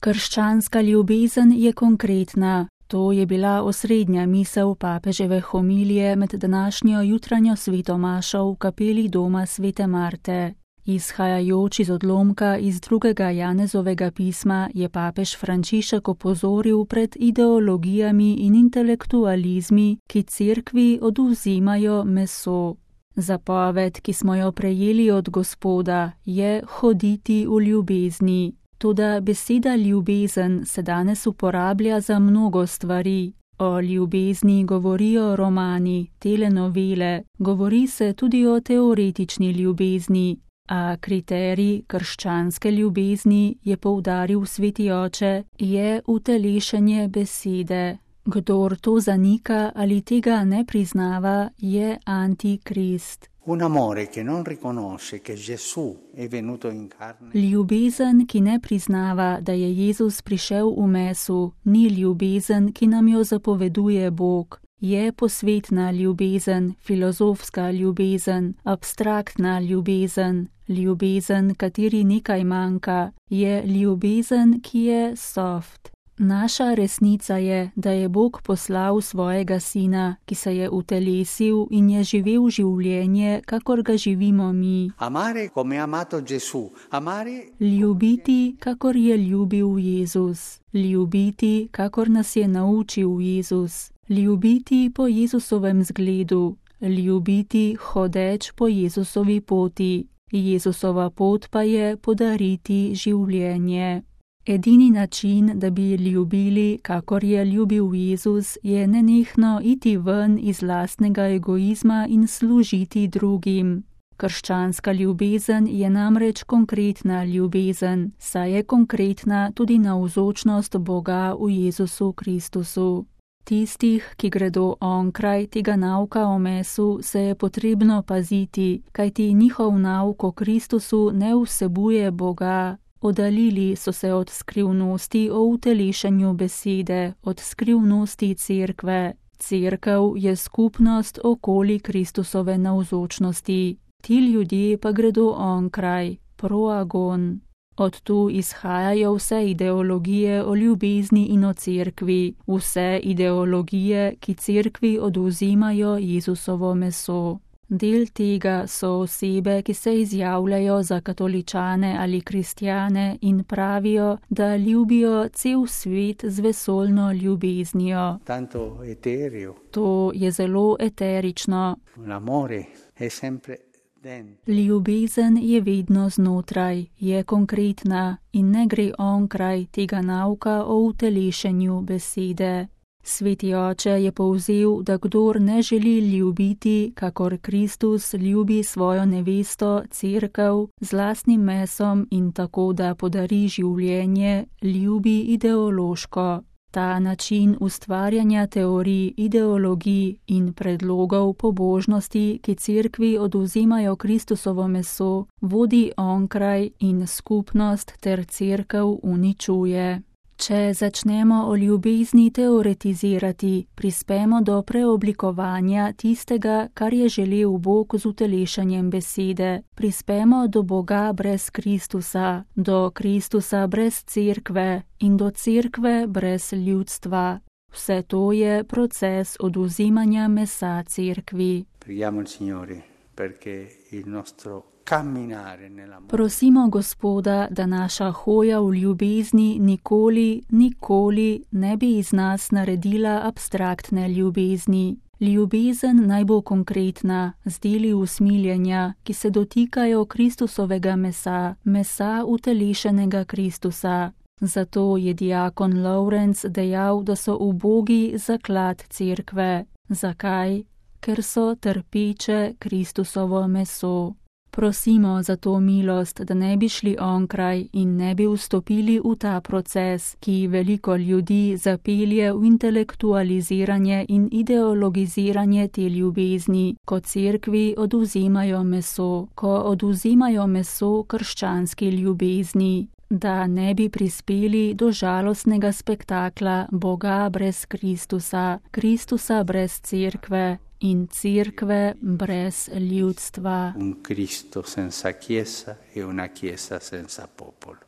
Krščanska ljubezen je konkretna. To je bila osrednja misel papeževe homilije med današnjo jutranjo svetomašo v kapeli doma svete Marte. Izhajajoč iz odlomka iz 2. Janezovega pisma je papež Frančišek opozoril pred ideologijami in intelektualizmi, ki cerkvi odvzimajo meso. Zapoved, ki smo jo prejeli od Gospoda, je hoditi v ljubezni. Toda beseda ljubezen se danes uporablja za mnogo stvari. O ljubezni govorijo romani, telenovele, govori se tudi o teoretični ljubezni, a kriterij krščanske ljubezni, je poudaril sveti oče, je utelešenje besede. Kdor to zanika ali tega ne priznava, je antikrist. Un amore che non riconosce che Gesù è venuto in carne. Ljubezen, ki ne priznava, da je Jezus prišel v mesu, ni ljubezen, ki nam jo zapoveduje Bog. Je posvetna ljubezen, filozofska ljubezen, abstraktna ljubezen, ljubezen, kateri nekaj manjka, je ljubezen, ki je soft. Naša resnica je, da je Bog poslal svojega sina, ki se je utelesil in je živel življenje, kakor ga živimo mi. Amare come ha amato Gesù. Amare Ljubiti, kakor je ljubil Jezus. Ljubiti, kakor nas je naučil Jezus. Ljubiti po Jezusovem zgledu. Ljubiti hodeč po Jezusovi poti. Jezusova pot pa je podariti življenje. Edini način, da bi ljubili, kakor je ljubil Jezus, je nenehno iti ven iz lastnega egoizma in služiti drugim. Krščanska ljubezen je namreč konkretna ljubezen, saj je konkretna tudi navzočnost Boga v Jezusu Kristusu. Tistih, ki gredo onkraj tega nauka o mesu, se je potrebno paziti, kajti njihov nauk o Kristusu ne vsebuje Boga. Oddaljili so se od skrivnosti o utelešenju besede, od skrivnosti cerkve. Cerkev je skupnost okoli Kristusove navzočnosti. Ti ljudje pa gredo onkraj, proagon. Od tu izhajajo vse ideologije o ljubezni in o cerkvi, vse ideologije, ki cerkvi odvzimajo Jezusovo meso. Del tega so osebe, ki se izjavljajo za katoličane ali kristjane in pravijo, da ljubijo cel svet z vesoljno ljubeznijo. tanto etereo. To je zelo eterično. L'amore è sempre dentro. Ljubezen je vedno znotraj, je konkretna in ne gre onkraj tega nauka o utelešenju besede. Sveti oče je povzel, da kdor ne želi ljubiti, kakor Kristus ljubi svojo nevesto, cerkev, z lastnim mesom in tako, da podari življenje, ljubi ideološko. Ta način ustvarjanja teorij, ideologij in predlogov pobožnosti, ki cerkvi odvzimajo Kristusovo meso, vodi onkraj in skupnost ter cerkev uničuje. Če začnemo o ljubezni teoretizirati, prispemo do preoblikovanja tistega, kar je želel Bog z utelešanjem besede. Prispemo do Boga brez Kristusa, do Kristusa brez cerkve in do cerkve brez ljudstva. Vse to je proces odvzimanja mesa cerkvi. Preghiamo il Signore perché il nostro camminare nell'amore. Prosimo Gospoda, da naša hoja v ljubezni nikoli ne bi iz nas naredila abstraktne ljubezni. Ljubezen naj bo konkretna, z deli usmiljenja, ki se dotikajo Kristusovega mesa, mesa utelešenega Kristusa. Zato je diakon Lawrence dejal, da so ubogi zaklad cerkve. Zakaj? Ker so trpeče Kristusovo meso. Prosimo za to milost, da ne bi šli onkraj in ne bi vstopili v ta proces, ki veliko ljudi zapelje v intelektualiziranje in ideologiziranje te ljubezni, ko cerkvi odvzimajo meso, ko odvzimajo meso krščanski ljubezni, da ne bi prispeli do žalostnega spektakla Boga brez Kristusa, Kristusa brez cerkve in cerkve brez ljudstva. Un Cristo senza chiesa e una chiesa senza popolo.